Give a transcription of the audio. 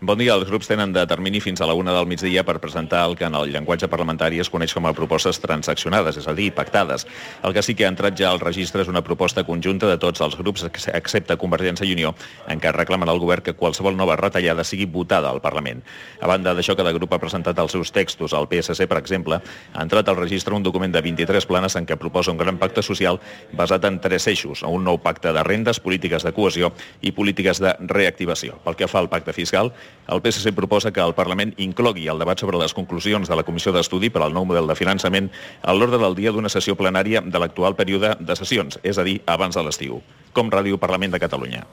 Bon dia. Els grups tenen de termini fins a la 1 del migdia per presentar el que en el llenguatge parlamentari es coneix com a propostes transaccionades, és a dir, pactades. El que sí que ha entrat ja al registre és una proposta conjunta de tots els grups, excepte Convergència i Unió, en què reclamen al govern que qualsevol nova retallada sigui votada al Parlament. A banda d'això, cada grup ha presentat els seus textos. El PSC, per exemple, ha entrat al registre un document de 23 planes en què proposa un gran pacte social basat en 3 eixos, un nou pacte de rendes, polítiques de cohesió i polítiques de reactivació. Pel que fa al pacte fiscal, el PSC proposa que el Parlament inclogui el debat sobre les conclusions de la Comissió d'Estudi per al nou model de finançament a l'ordre del dia d'una sessió plenària de l'actual període de sessions, és a dir, abans de l'estiu. Com Ràdio Parlament de Catalunya.